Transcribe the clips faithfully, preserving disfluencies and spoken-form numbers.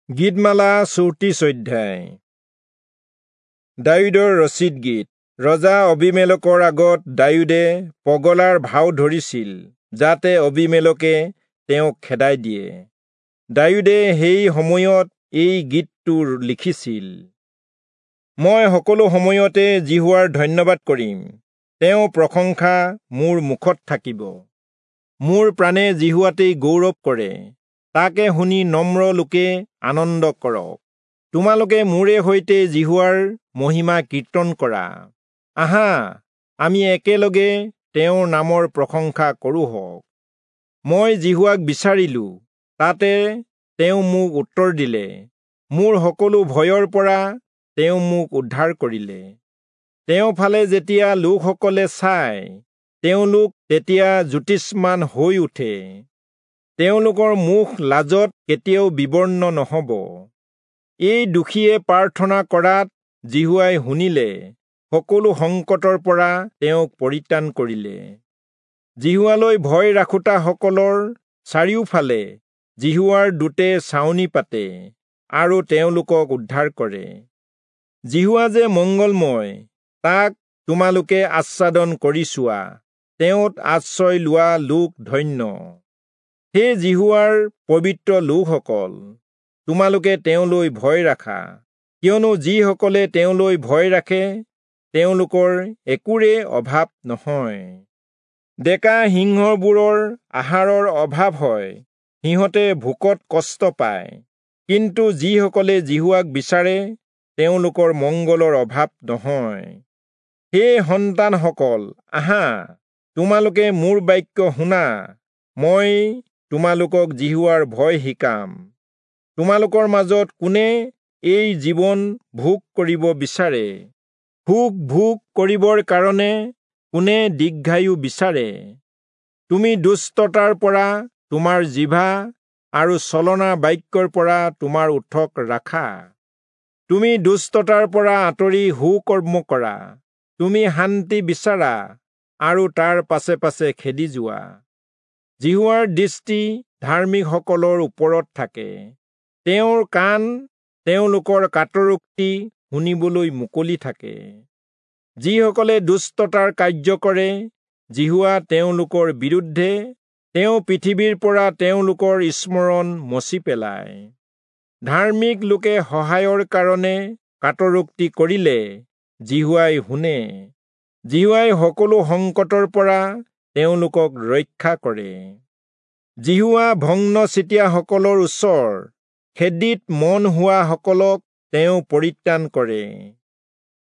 গীতমালা চৌত্ৰিশ অধ্যায়। দায়ূদৰ ৰচিত গীত। ৰজা অবিমেলকৰ আগত দায়ূদে পগলাৰ ভাও ধৰিছিল, যাতে অবিমেলকে তেওঁক খেদাই দিয়ে। দায়ূদে সেই সময়ত এই গীতটো লিখিছিল। মই সকলো সময়তে যিহোৱাৰ ধন্যবাদ কৰিম, তেওঁ প্ৰশংসা মোৰ মুখত থাকিব। মোৰ প্ৰাণে যিহোৱাতেই গৌৰৱ কৰে, তাকে শুনি নম্ৰ লোকে আনন্দ কৰক। তোমালোকে মোৰে সৈতে যিহোৱাৰ মহিমা কীৰ্তন কৰা। আহা, আমি একেলগে তেওঁৰ নামৰ প্ৰশংসা কৰোঁহক। মই যিহোৱাক বিচাৰিলোঁ, তাতে তেওঁ মোক উত্তৰ দিলে। মোৰ সকলো ভয়ৰ পৰা তেওঁ মোক উদ্ধাৰ কৰিলে। তেওঁ ফালে যেতিয়া লোকসকলে চায়, তেওঁলোক তেতিয়া জ্যোতিষ্মান হৈ উঠে। তেওঁলোকৰ মুখ লাজত কেতিয়াও বিবৰ্ণ নহ'ব। এই দোষীয়ে প্ৰাৰ্থনা কৰাত যিহোৱাই শুনিলে, সকলো সংকটৰ পৰা তেওঁক পৰিত্ৰাণ কৰিলে। যিহোৱালৈ ভয় ৰাখোঁতাসকলৰ চাৰিওফালে যিহোৱাৰ দূতে ছাউনি পাতে আৰু তেওঁলোকক উদ্ধাৰ কৰে। যিহোৱা যে মংগলময়, তাক তোমালোকে আস্বাদন কৰি চোৱা, তেওঁত আশ্ৰয় লোৱা লোক ধন্য। হে যিহোৱাৰ পবিত্ৰ লোকসকল, তোমালোকে তেওঁলৈ ভয় ৰাখা, কিয়নো যিসকলে তেওঁলৈ ভয় ৰাখে তেওঁলোকৰ একোৰে অভাৱ নহয়। ডেকা সিংহবোৰৰ আহাৰৰ অভাৱ হয়, সিহঁতে ভোকত কষ্ট পায়, কিন্তু যিসকলে যিহোৱাক বিচাৰে তেওঁলোকৰ মংগলৰ অভাৱ নহয়। হে সন্তানসকল, আহা, তোমালোকে মোৰ বাক্য শুনা, মই তোমালোকক যিহোৱাৰ ভয় শিকাম। তোমালোকৰ মাজত কোনে এই জীৱন ভোগ কৰিব বিচাৰে? সুখ ভোগ কৰিবৰ কাৰণে কোনে দীৰ্ঘায়ু বিচাৰে? তুমি দুষ্টতাৰ পৰা তোমাৰ জিভা আৰু ছলনা বাক্যৰ পৰা তোমাৰ ওঁঠক ৰাখা। তুমি দুষ্টতাৰ পৰা আঁতৰি সুকৰ্ম কৰা, তুমি শান্তি বিচাৰা আৰু তাৰ পাছে পাছে খেদি যোৱা। যিহোৱাৰ দৃষ্টি ধাৰ্মিকসকলৰ ওপৰত থাকে, তেওঁৰ কাণ তেওঁলোকৰ কাতৰোক্তি শুনিবলৈ মুকলি থাকে। যিসকলে দুষ্টতাৰ কাৰ্য কৰে, যিহোৱা তেওঁলোকৰ বিৰুদ্ধে, তেওঁ পৃথিৱীৰ পৰা তেওঁলোকৰ স্মৰণ মচি পেলায়। ধাৰ্মিক লোকে সহায়ৰ কাৰণে কাতৰোক্তি কৰিলে যিহোৱাই শুনে, যিহোৱাই সকলো সংকটৰ পৰা তেওঁলোকক ৰক্ষা কৰে। যিহোৱা ভগ্নচিতীয়াসকলৰ ওচৰ, খেদিত মন হোৱাসকলক তেওঁ পৰিত্ৰাণ কৰে।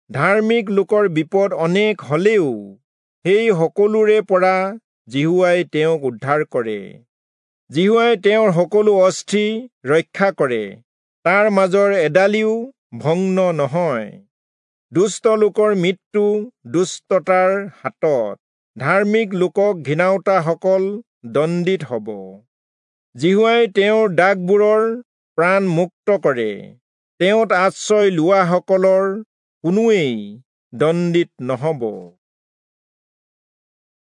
ধাৰ্মিক লোকৰ বিপদ অনেক হলেও সেই সকলোৰে পৰা যিহোৱাই তেওঁক উদ্ধাৰ কৰে। যিহোৱাই তেওঁৰ সকলো অস্থি ৰক্ষা কৰে, তাৰ মাজৰ এডালিও ভগ্ন নহয়। দুষ্ট লোকৰ মৃত্যু দুষ্টতাৰ হাতত, ধাৰ্মিক লোকক ঘিণাওতাসকল দণ্ডিত হ'ব। যিহোৱাই তেওঁৰ দাসবোৰৰ প্ৰাণ মুক্ত কৰে, তেওঁত আশ্ৰয় লোৱাসকলৰ কোনোৱেই দণ্ডিত নহ'ব।